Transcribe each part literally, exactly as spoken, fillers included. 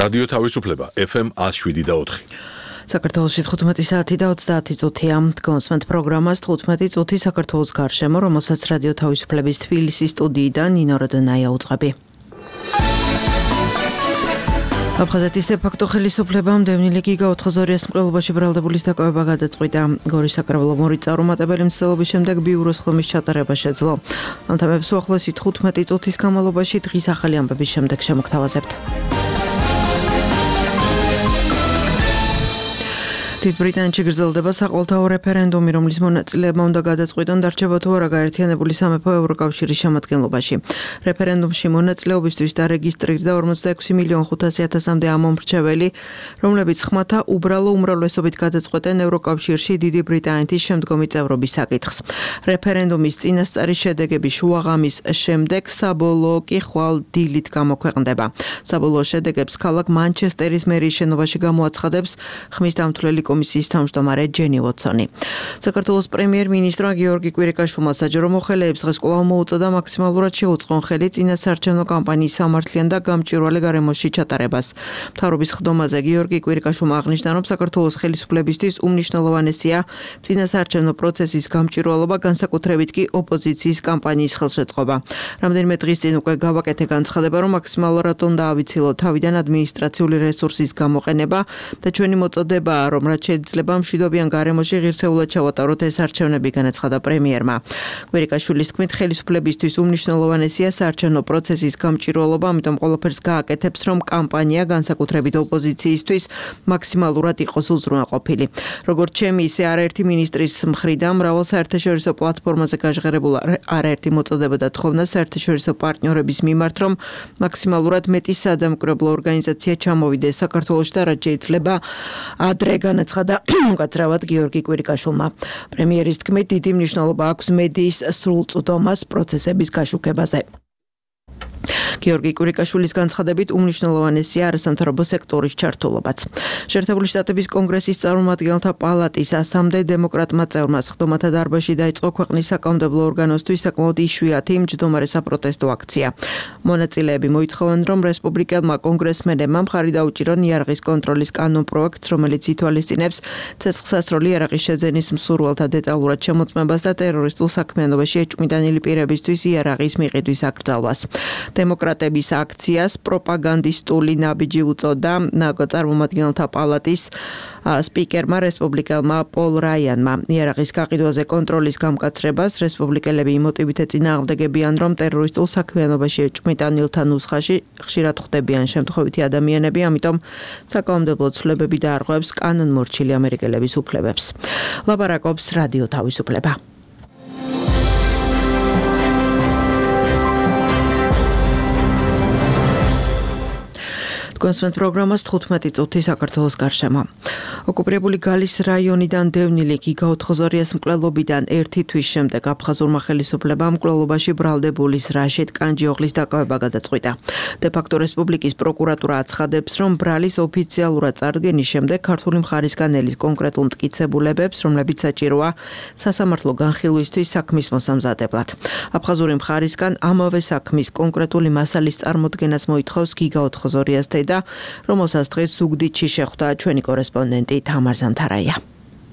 რადიო თავისუფლება ეფ ემ one oh seven და four. საქართველოში თხუთმეტი საათი და ოცდაათი წუთია. Დგომსმენთ პროგრამას თხუთმეტი წუთი საქართველოს გარშემო, რომელსაც რადიო თავისუფლების თბილისის სტუდიიდან ნინო როდონაია უძღვები. აფხაზეთის დე-ფაქტო ხელისუფლებამ დევნილი გიგა ოთხზორიას მკვლელობაში ბრალდებულის დაკავება გადაწყვიტა. გორის საკრებულო მორით წარუმატებელი მცდელობის შემდეგ ბიუროს ხომის ჩატარება შეძლო. ამ თემებს უახლოესი თხუთმეტი წუთის განმავლობაში დღის ახალი ამბების შემდეგ შემოგთავაზებთ. დიდ ბრიტანეთში გრძელდება საყოველთაო რეფერენდუმი, რომლის მონაწილეებმა უნდა გადაწყვიტონ დარჩება თუ არა გაერთიანებული სამეფო ევროკავშირის შემადგენლობაში. რეფერენდუმში მონაწილეობისთვის დარეგისტრირდა ორმოცდაექვსი მილიონი ხუთასი ათასამდე ამომრჩეველი, რომლებიც ხმათა უბრალო უმრავლესობით გადაწყვეტენ ევროკავშირში დიდი ბრიტანეთის შემდგომი წევრობის საკითხს. რეფერენდუმის წინასწარი შედეგები შუაღამის შემდეგ საბოლოო კი ხვალ დილით გამოქვეყნდება. საბოლოო შედეგებს ქალაქ მანჩესტერის მერიის შენობაში გამოაცხადებს ხმის დამთვლელი კომისიის თავმჯდომარე ჯენი ვოტსონი. საქართველოს პრემიერ-მინისტრმა გიორგი კვირიკაშვილმა საჯარო მოხელეებს დღეს კვლავ მოუწოდა მაქსიმალურად შეუწყონ ხელი წინასაარჩევნო კამპანიის სამართლიან და გამჭვირვალე გარემოში ჩატარებას. მთავრობის ხდომაზე გიორგი კვირიკაშვილმა აღნიშნა, რომ საქართველოს ხელისუფლებისთვის უმნიშვნელოვანესია წინასაარჩევნო პროცესის გამჭვირვალობა, განსაკუთრებით კი ოპოზიციის კამპანიის ხელშეწყობა. რამდენიმე დღის წინ უკვე გავაკეთე განცხადება, რომ მაქსიმალურად უნდა ავიცილოთ თავიდან ადმინისტრაციული რესურსის გამოყენება და ჩვენი მოწოდებაა, რომ რაც შეიძლება მშვიდობიან გარემოში ღირსეულად ჩავატაროთ ეს არჩევნები, განაცხადა პრემიერმა. კვირიკაშვილის თქმით, ხელისუფლებისთვის უმნიშვნელოვანესია საარჩევნო პროცესის გამჭვირვალობა, ამიტომ ყველაფერს გააკეთებს, რომ კამპანია განსაკუთრებით ოპოზიციისთვის მაქსიმალურად იყოს უზრუნველყოფილი. როგორც ჩემი, ისე არაერთი მინისტრის მხრიდან მრავალ საერთაშორისო პლატფორმაზე გაჟღერებულ არაერთი მოწოდება და თხოვნა საერთაშორისო პარტნიორების მიმართ, რომ მაქსიმალურად მეტი სადამკვირვებლო ორგანიზაცია ჩამოვიდეს საქართველოში და რაც შეიძლება ადრე განაცხადა უკაცრავად გიორგი კვირიკაშვილმა. პრემიერის თქმით, დიდი მნიშვნელობა აქვს მედიის სრულწლდომას პროცესების გაშუქებაზე. გიორგი კვირიკაშვილის განცხადებით უმნიშვნელოვანესია არასამთავრობო სექტორის ჩართულობაც. შეერთებული შტატების კონგრესის წარმომადგენელთა პალატის ასამდე დემოკრატმა წევრმა სხდომათა დარბაზში დაიწყო ქვეყნის საკანონმდებლო ორგანოსთვის საკმაოდ იშვიათი მჯდომარე საპროტესტო აქცია. მონაწილეები მოითხოვენ, რომ რესპუბლიკელმა კონგრესმენებმა მხარი დაუჭირონ იარაღის კონტროლის კანონპროექტს, რომელიც ითვალისწინებს ცეცხლსასროლი იარაღის შეძენის მსურველთა დეტალურად შემოწმებას და ტერორისტულ საქმიანობაში ეჭვმიტანილი პირებისთვის იარაღის მიყიდვის აკრძალვას. დემოკრატების აქციას პროპაგანდისტული ნაბიჯი უწოდა წარმომადგენელთა პალატის სპიკერმა რესპუბლიკელმა პოლ რაიანმა. იარაღის გაყიდვაზე კონტროლის გამკაცრებას რესპუბლიკელები იმოტივით ეწინააღმდეგებიან, რომ ტერორისტულ საქმიანობაში ეჭვმიტანილთა ნუსხაში ხშირად ხვდებიან შემთხვევითი ადამიანები, ამიტომ საკანონმდებლო ცვლილებები დაარღვევს კანონმორჩილი ამერიკელების უფლებებს. ლაპარაკობს რადიო თავისუფლება. დგომსმენთ პროგრამას თხუთმეტი წუთი საქართველოს გარშემო. ოკუპირებული გალის რაიონიდან დევნილი გიგა ოთხზორიას მკვლელობიდან ერთი თვის შემდეგ აფხაზურმა ხელისუფლებამ მკვლელობაში ბრალდებულის რაშიდ კანჯიოღლის დაკავება გადაწყვიტა. დე-ფაქტო რესპუბლიკის პროკურატურა აცხადებს, რომ ბრალის ოფიციალურად წარდგენის შემდეგ ქართული მხარისგან ელის კონკრეტულ მტკიცებულებებს, რომლებიც საჭიროა სასამართლო განხილვისთვის საქმის მოსამზადებლად. აფხაზური მხარისგან ამავე საქმის კონკრეტული მასალის წარმოდგენას მოითხოვს გიგა ოთხზორიას და რომელსაც დღეს ზუგდიდში შეხვდა ჩვენი კორესპონდენტი თამარ ზანთარაია.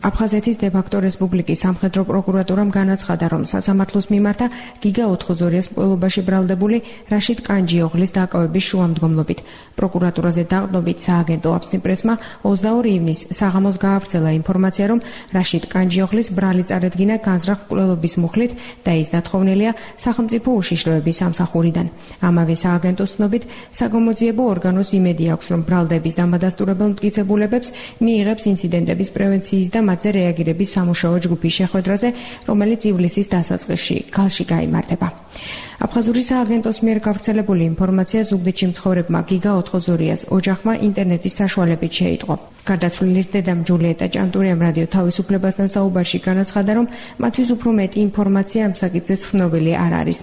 აფხაზეთის დე-ფაქტო რესპუბლიკის სამხედრო პროკურატურამ განაცხადა, რომ სასამართლოს მიმართა გიგა ოთხზორიას მკვლელობაში ბრალდებული რაშიდ კანჯიოღლის დაკავების შუამდგომლობით. პროკურატურაზე დაყრდნობით სააგენტო აფსნი-პრესმა ოცდაორი ივნისს საღამოს გაავრცელა ინფორმაცია, რომ რაშიდ კანჯიოღლის ბრალი წარედგინა განზრახ მკვლელობის მუხლით და ის დათხოვნილია სახელმწიფო უშიშროების სამსახურიდან. ამავე სააგენტოს ცნობით, საგამოძიებო ორგანოს იმედი აქვს, რომ ბრალდების დამადასტურებელ მტკიცებულებებს მიიღებს ინციდენტების პრევენციის და მათზე რეაგირების სამუშაო ჯგუფის შეხვედრაზე, რომელიც ივლისის დასაწყისში გალში გაიმართება. აფხაზური სააგენტოს მიერ გავრცელებული ინფორმაცია ზუგდიდში მცხოვრებმა გიგა ოთხზორიას ოჯახმა ინტერნეტის საშუალებით შეიტყო. გარდაცვლილის დედამ ჯულიეტა ჭანტურიამ რადიო თავისუფლებასთან საუბარში განაცხადა, რომ მათთვის უფრო მეტი ინფორმაცია ამ საკითხზე ცნობილი არ არის.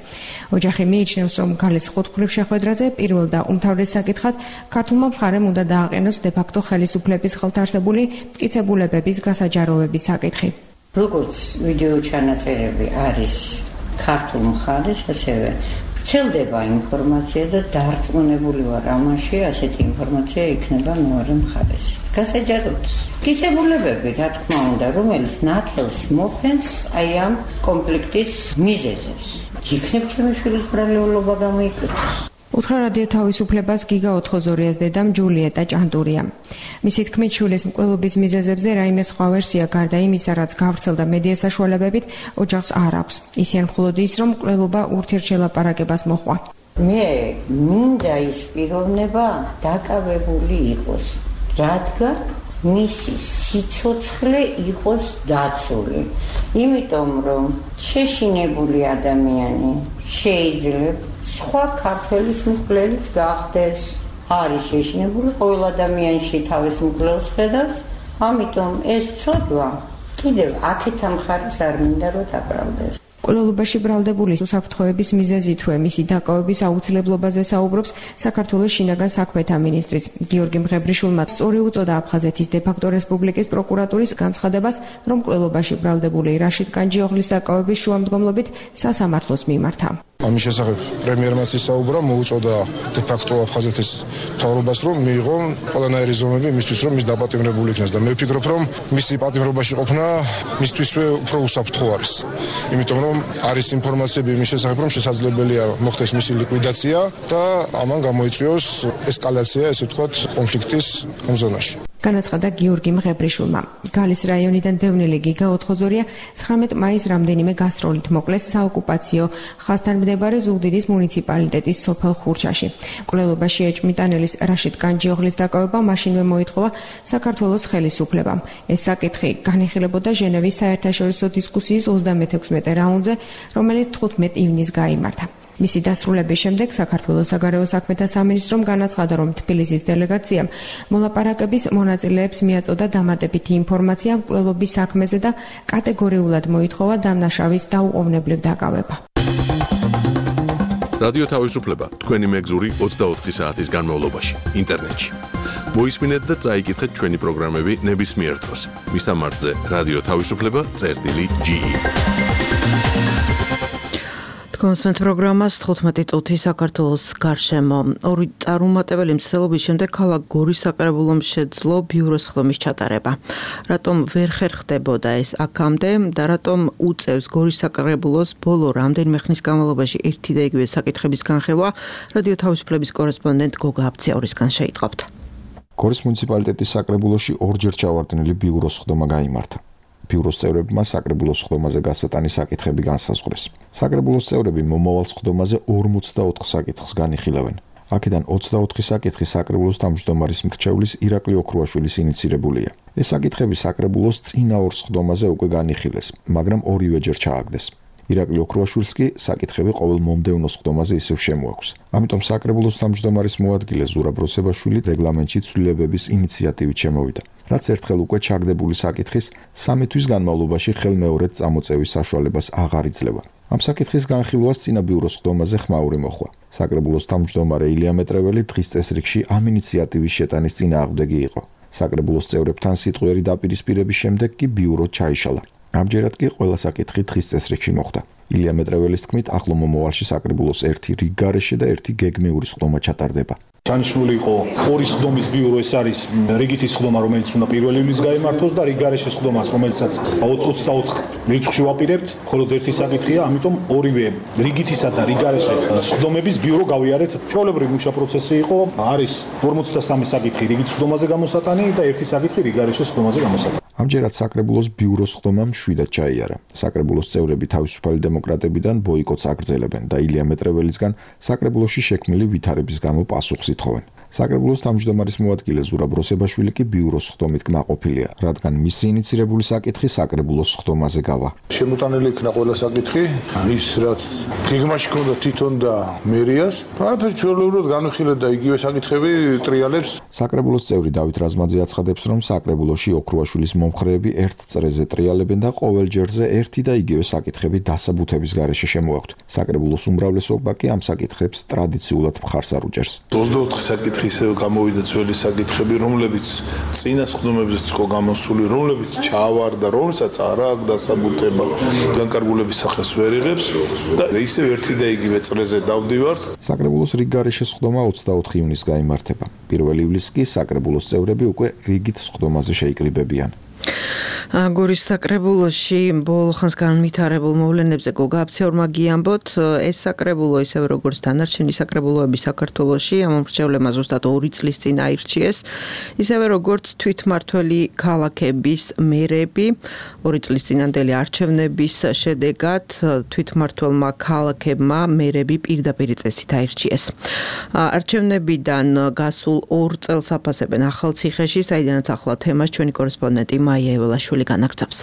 ოჯახი მიიჩნევს, რომ ქალის ხუთმხრივ შეხვედრაზე პირველ და უმთავრეს საკითხად ქართულმა მხარემ უნდა დააყენოს დე-ფაქტო ხელისუფლების ხელთარსებული მტკიცებულებების გასაჯაროვების საკითხი. როგორც ვიდეო ჩანაწერები არის ქართულ მხარეს, ასევე ვრცელდება ინფორმაცია და დარწმუნებული ვარ ამაში, ასეთი ინფორმაცია იქნება მეორე მხარეს. გასაჯაროდ გიწებულებები, რა თქმა უნდა, რომელიც ნათელს მოფენს აი ამ კონფლიქტის მიზეზებს. იქნებ ჩემი შვილის ბრალეულობა გამოიკვეთოს. უთხრა რადიო თავისუფლებას გიგა ოთხოზორიას დედამ ჯულიეტა ჭანტურია. მისი თქმით, შვილის მკვლელობის მიზეზებზე რაიმე სხვა ვერსია გარდა იმისა, რაც გავრცელდა მედია საშუალებებით, ოჯახს არ აქვს. ისიან მხოლოდ ის, რომ მკვლელობა ურთიერთშელაპარაკებას მოჰყვა. მე მინდა ის პიროვნება დაკავებული იყოს, რადგან მისი სიცოცხლე იყოს დაცული. იმიტომ რომ შეშინებული ადამიანი შეიძლება სხვა ქართველის მკვლელის გახდეს. არის შეშინებული, ყოველ ადამიანში თავის მკვლელს ხედავს, ამიტომ ეს ცოდვა კიდევ აქეთ ამ ხარეს არ მინდა რომ დაბრალდეს. მკვლელობაში ბრალდებული უსაფრთხოების მიზეზი თუ მისი დაკავების აუცილებლობაზე საუბრობს საქართველოს შინაგან საქმეთა მინისტრიც გიორგი მღებრიშვილმა. სწორი უწოდა აფხაზეთის დე-ფაქტო რესპუბლიკის პროკურატურის განცხადებას, რომ მკვლელობაში ბრალდებული რაშიდ კანჯიოღლის დაკავების შუამდგომლობით სასამართლოს მიმართა. ამის შესახებ პრემიერმა ისაუბრა, მოუწოდა დე-ფაქტო აფხაზეთის მთავრობას, რომ მიიღო ყველანაირი ზომები მისთვის, რომ ის დაპატიმრებული იქნეს და მე ვფიქრობ, რომ მისი პატიმრობაში ყოფნა მისთვისვე უფრო უსაფრთხო არის. იმიტომ რომ არის ინფორმაციები იმის შესახებ, რომ შესაძლებელია მოხდეს მისი ლიკვიდაცია და ამან გამოიწვიოს ესკალაცია, ესე ვთქვათ, კონფლიქტის ამ ზონაში. განაცხადა გიორგი მღებრიშვილმა. გალის რაიონიდან დევნილი გიგა ოთხოზორია ცხრამეტ მაისს რამდენიმე გასტროლით მოკლეს საოკუპაციო ხაზთან მდებარე ზუგდიდის მუნიციპალიტეტის სოფელ ხურჩაში. მკვლელობაში ეჭვმიტანელის რაშიდ კანჯიოღლის დაკავება მაშინვე მოითხოვა საქართველოს ხელისუფლებამ. ეს საკითხი განიხილებოდა ჟენევის საერთაშორისო დისკუსიის ოცდამეექვსმეტე რაუნდზე, რომელიც თხუთმეტ ივნისს გაიმართა. მისი დასრულების შემდეგ საქართველოს საგარეო საქმეთა სამინისტრომ განაცხადა, რომ თბილისის დელეგაციამ მოლაპარაკების მონაწილეებს მიაწოდა დამატებითი ინფორმაცია მკვლელობის საქმეზე და კატეგორიულად მოითხოვა დამნაშავის დაუყოვნებლივ დაკავება. რადიო თავისუფლება თქვენი მეგზური ოცდაოთხი საათის განმავლობაში ინტერნეტში. მოისმინეთ და წაიკითხეთ ჩვენი პროგრამები ნებისმიერ დროს. მისამართზე რადიო თავისუფლება წერტილი ჯი ი. კონსვენთ პროგრამას თხუთმეტი წუთი საქართველოს გარშემო. ორი წარუმატებელი მცდელობის შემდეგ ქალაქ გორის საკრებულომ შეძლო ბიუროს ხდომის ჩატარება. რატომ ვერ ხერხდებოდა ეს აქამდე და რატომ უწევს გორის საკრებულოს ბოლო რამდენიმე ხნის განმავლობაში ერთი და იგივე საკითხების განხილვა, რადიო თავისუფლების კორესპონდენტ გოგა აბციაურისგან შეიტყობთ. გორის მუნიციპალიტეტის საკრებულოში ორჯერ ჩავარდნილი ბიუროს ხდომა გაიმართა. ბიუროს წევრებმა საკრებულოს ხდომაზე გასატანის საკითხები განსაზღვრეს. საკრებულოს წევრები მომავალ ხდომაზე ორმოცდაოთხ საკითხს განიხილავენ. აქედან ოცდაოთხი საკითხი საკრებულოს თავმჯდომარის მრჩევლის ირაკლი ოქრუაშვილის ინიცირებულია. ეს საკითხები საკრებულოს წინა ორ ხდომაზე უკვე განიხილეს, მაგრამ ორივეჯერ ჩააგდეს. ირაკლი ოქრუაშვილს კი საკითხები ყოველ მომდევნო ხდომაზე ისევ შემოაქვს. ამიტომ საკრებულოს თავმჯდომარის მოადგილე ზურაბ როსებაშვილი რეგლამენტში ცვლილებების ინიციატივით შემოვიდა. რაც ერთხელ უკვე ჩაგდებული საკითხის სამი თვის განმავლობაში ხელმეორედ წამოწევის საშუალებას აღარ იძლევა. ამ საკითხის განხილვას წინა ბიუროს ხდომაზე ხმაური მოხვა. საკრებულოს თავმჯდომარე ილია მეტრეველი დღის წესრიგში ამ ინიციატივის შეტანის წინააღმდეგი იყო. საკრებულოს წევრებთან სიტყვიერი დაპირისპირების შემდეგ კი ბიურო ჩაიშალა. ამჯერად კი ყველა საკითხი დღის წესრიგში მოხდა. ილია მეტრეველის თქმით, ახლო მომავალში საკრებულოს ერთი რიგ გარეშე და ერთი გეგმიური ხდომა ჩატარდება. ჩანიშნული იყო ორი ხდომის ბიურო, ეს არის რიგითის ხდომა, რომელიც უნდა პირველი ივლისს გაიმართოს და რიგ გარეშე ხდომას, რომელსაც ოცდაოთხ რიცხვში ვაპირებთ, მხოლოდ ერთი საკითხია, ამიტომ ორივე რიგითისა და რიგ გარეშე ხდომების ბიურო გავიარეთ. ჩვეულებრივი მუშა პროცესი იყო, არის ორმოცდასამი საკითხი რიგით ხდომაზე გამოსატანი და ერთი საკითხი რიგ გარეშე ხდომაზე გამოსატანი. ამჯერად საკრებულოს ბიუროს ხდომა მშვიდად ჩაიარა. საკრებულოს წევრები თავისუფალი დემოკრატებიდან ბოიკოტს აგრძელებენ და ილია მეტრეველისგან საკრებულოში შექმნილი ვითარების გამო პასუხს ითხოვენ. საკრებულოს თავმჯდომარის მოადგილე ზურაბ როსებაშვილი კი ბიუროს ხდომით კმაყოფილია, რადგან მისი ინიცირებული საკითხი საკრებულოს ხდომაზე გავა. შემოტანილი იქნა ყველა საკითხი, ის რაც გეგმაში ჰქონდა თვითონ და მერიას, არაფერი ჩვეულებრივად განვიხილეთ და იგივე საკითხები ტრიალებს. საკრებულოს წევრი დავით რაზმაძე აცხადებს, რომ საკრებულოში ოქრუაშვილის მომხრეები ერთ წრეზე ტრიალებენ და ყოველ ჯერზე ერთი და იგივე საკითხები დასაბუთების გარეშე შემოაქვთ. საკრებულოს უმრავლესობა კი ამ საკითხებს ტრადიციულად მხარს არ უჭერს. ოცდაოთხ საკითხი ისე გამოვიდა ძველი საკითხები, რომლებიც წინა სხდომებზეც იყო გამოსული, რომლებიც ჩავარდა, რომელსაც არ აქვს დასაბუთება, განკარგულების სახელს ვერ იღებს და ისევ ერთი და იგივე წრეზე დავდივართ. საკრებულოს რიგგარეშე სხდომა ოცდაოთხი ივნისს გაიმართება. პირველი ივლისს კი საკრებულოს წევრები უკვე რიგით სხდომაზე შეიკრიბებიან. გორის საკრებულოში ბოლო ხანს განვითარებულ მოვლენებზე გოგა აფციორმა გიამბოთ, ეს საკრებულო ისევე როგორც დანარჩენი საკრებულოები საქართველოში ამომრჩევლებმა ზუსტად ორი წლის წინ აირჩიეს, ისევე როგორც თვითმმართველი ქალაქების მერები ორი წლის წინანდელი არჩევნების შედეგად თვითმმართველმა ქალაქებმა მერები პირდაპირ წესით აირჩიეს. არჩევნებიდან გასულ ორ წელს აფასებენ ახალციხეში, საიდანაც ახლა თემას ჩვენი კორესპონდენტი მაია ეველაშვილი განაგრძობს.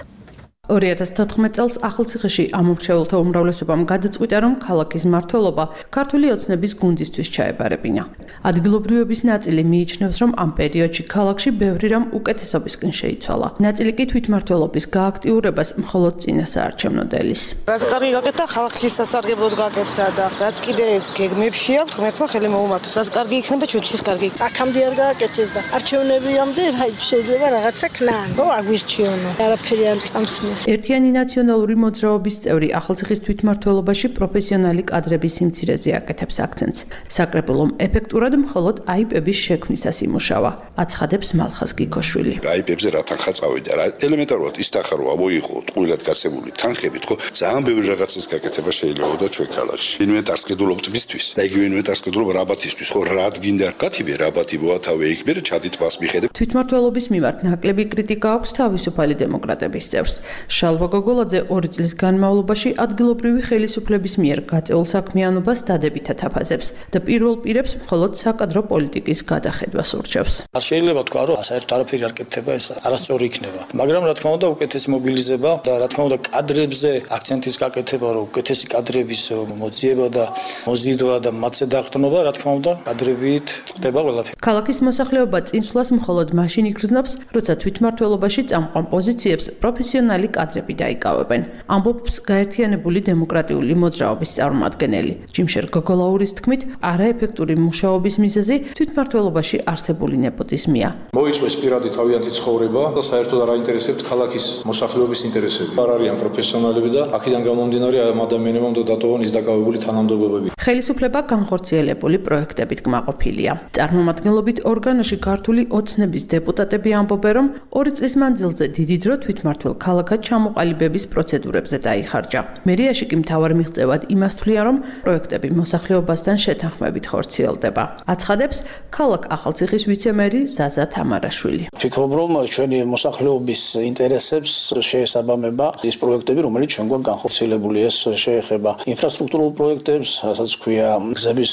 ორი ათას თოთხმეტ წელს ახალციხეში ამომრჩეველთა უმრავლესობამ გადაწყვიტა, რომ ქალაქის მმართველობა ქართული ოცნების გუნდისთვის ჩაებარებინა. ადგილობრივების ნაწილი მიიჩნევს, რომ ამ პერიოდში ქალაქში ბევრი რამ უკეთესობისკენ შეიცვალა. ნაწილი კი თვითმმართველობის გააქტიურებას მხოლოდ წინა საარჩევნო დილის. რაც კარგი გაკეთდა, ხალხის სასარგებლოდ გაკეთდა და რაც კიდე გეგმებში აქვს, ღმერთმა ხელი მოუმართოს. რაც კარგი იქნება, ჩვენთვის კარგი. აქამდე არ გააკეთეს და არჩევნებიამდე შეიძლება რაღაცა ქნან. ო აგვირჩიონო. არაფერი არ წამსმის. ერთიანი ნაციონალური მოძრაობის წევრი ახალციხის თვითმმართველობაში პროფესიონალი კადრების სიმცირეზე აკეთებს აქცენტს. საკრებულომ ეფექტურად მხოლოდ აიპების შექმნისას იმუშავა. აცხადებს მალხაზ გიქოშვილი. აიპებზე რა თანხა წავიდა, რა ელემენტარულად ის თანხა რო ავოიღო, ტყუილად გაცემული თანხებით, ხო, ძალიან ბევრი რაღაცის გაკეთება შეიძლება და ჩვენ ქალაქში. ინვენტარს გედულობთ მისთვის და იგივე ინვენტარს გედულობ რაბათისთვის, ხო, რა გინდა? გათიბე რაბათი მოათავე იქ, მე ჩადით მას მიხედებ. თვითმმართველობის მიმართ ნაკლები კრიტიკა აქვს თავისუფალი დემოკრატების წევრს. შალვა გოგოლაძე ორი წლის განმავლობაში ადგილობრივი ხელისუფლების მიერ გაწეულ საქმიანობას დადებითად აფასებს და პირველ პირებს მხოლოდ საკადრო პოლიტიკის გადახედვას ურჩევს. არ შეიძლება თქვა, რომ საერთოდ არაფერი არ კეთდება, ეს არასწორი იქნება. მაგრამ რა თქმა უნდა, უკეთესი მობილიზება და რა თქმა უნდა, კადრებზე აქცენტის გაკეთება, რომ უკეთესი კადრების მოძიება და მოზიდვა და მათზე დაყრდნობა, რა თქმა უნდა, კადრებით ხდება ყველაფერი. ქალაქის მოსახლეობა წინსვლას მხოლოდ მაშინ იგრძნობს, როცა თვითმმართველობაში წამყვან პოზიციებს პროფესიონალი კადრები დაიკავებენ. ამბობს გაერთიანებული დემოკრატიული მოძრაობის წარმომადგენელი. ჯიმშერ გოგოლაურის თქმით, არაეფექტური მუშაობის მიზეზი თვითმმართველობაში არსებული ნეპოტიზმია. მოიწვეს პირადი თავიანთი ცხოვრება და საერთოდ არ აინტერესებთ ქალაქის მოსახლეობის ინტერესები. არ არიან პროფესიონალები და აქედან გამომდინარე ამ ადამიანებმა უნდა დატოვონ ის დაკავებული თანამდებობები. ხელისუფლება განხორციელებული პროექტებით კმაყოფილია. წარმომადგენლობით ორგანოში ქართული ოცნების დეპუტატები ამბობენ, რომ ორი წლის მანძილზე დიდი დრო თვითმმართველ ქალაქად ჩამოყალიბების პროცედურებზე დაიხარჯა. მერიაში კი მთავარ მიღწევად იმას თვლიან, რომ პროექტები მოსახლეობასთან შეთანხმებით ხორციელდება. აცხადებს ქალაქ ახალციხის ვიცემერი ზაზა თამარაშვილი. ვფიქრობ, რომ ჩვენი მოსახლეობის ინტერესებს შეესაბამება ის პროექტები, რომელიც ჩვენ გვაქვს განხორციელებული. ეს შეეხება ინფრასტრუქტურულ პროექტებს, რასაც ქვია გზების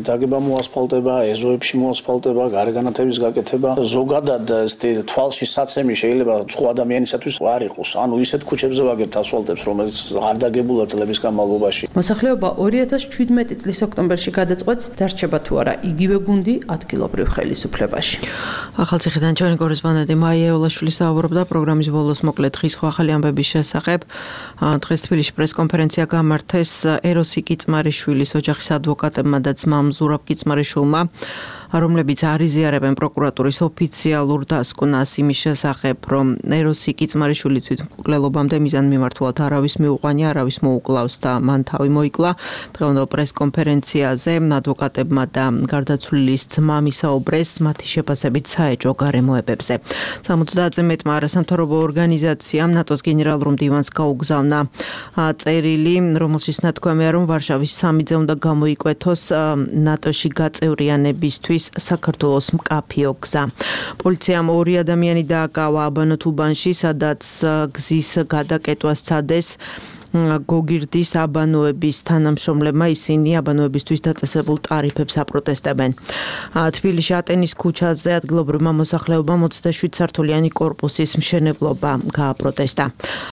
დაგება, მოასფალტება, ეზოებში მოასფალტება, გარეგანათების გაკეთება. ზოგადად თვალში საცემი შეიძლება სხვა ადამიანისათვის არ იყოს. ანუ ისეთ ქუჩებზე ვაგებთ ასფალტებს, რომელიც არ დაგებულა წლების განმავლობაში. მოსახლეობა ორი ათას ჩვიდმეტი წლის ოქტომბერში გადაწყვეტს, დარჩება თუ არა იგივე გუნდი ადგილობრივ ხელისუფლებაში. ახალციხიდან ჩვენი კორესპონდენტი მაია ეველაშვილი საუბრობდა პროგრამის ბოლოს მოკლედ დღის ახალი ამბების შესახებ. დღეს თბილისში პრესკონფერენცია გამართეს ეროსი კიწმარიშვილის ოჯახის ადვოკატებმა და ძმამ ზურაბ კიწმარიშვილმა, რომლებიც არიზიარებენ პროკურატურის ოფიციალურ დასკვნას იმის შესახებ, რომ ეროსი კიწმარიშვილი თვითმკვლელობამდე მიზანმიმართულად არავის მიუყვანია, არავის მოუკლავს და მან თავი მოიკლა. დღევანდელ პრესკონფერენციაზე ადვოკატებმა და გარდაცვლილის ძმამ ისაუბრეს მათი შეფასებით საეჭვო გარემოებებზე. სამოცდაათზე მეტმა არასამთავრობო ორგანიზაციამ ნატოს გენერალურ მდივანს გაუგზავნა წერილი, რომელშიც ნათქვამია, რომ ვარშავის სამიძე უნდა გამოიკვეთოს ნატოში გაწევრიანებისთვის საქართველოს მკაფიო გზა. პოლიციამ ორი ადამიანი დააკავა აბანოთუბანში, სადაც გზის გადაკეტვას სცადეს გოგირდის აბანოების თანამშრომლებმა. ისინი აბანოებისთვის დაწესებულ ტარიფებს აპროტესტებენ. თბილისში ატენის ქუჩაზე ადგილობრივმა მოსახლეობამ ოცდაშვიდ სართულიანი კორპუსის მშენებლობა გააპროტესტა.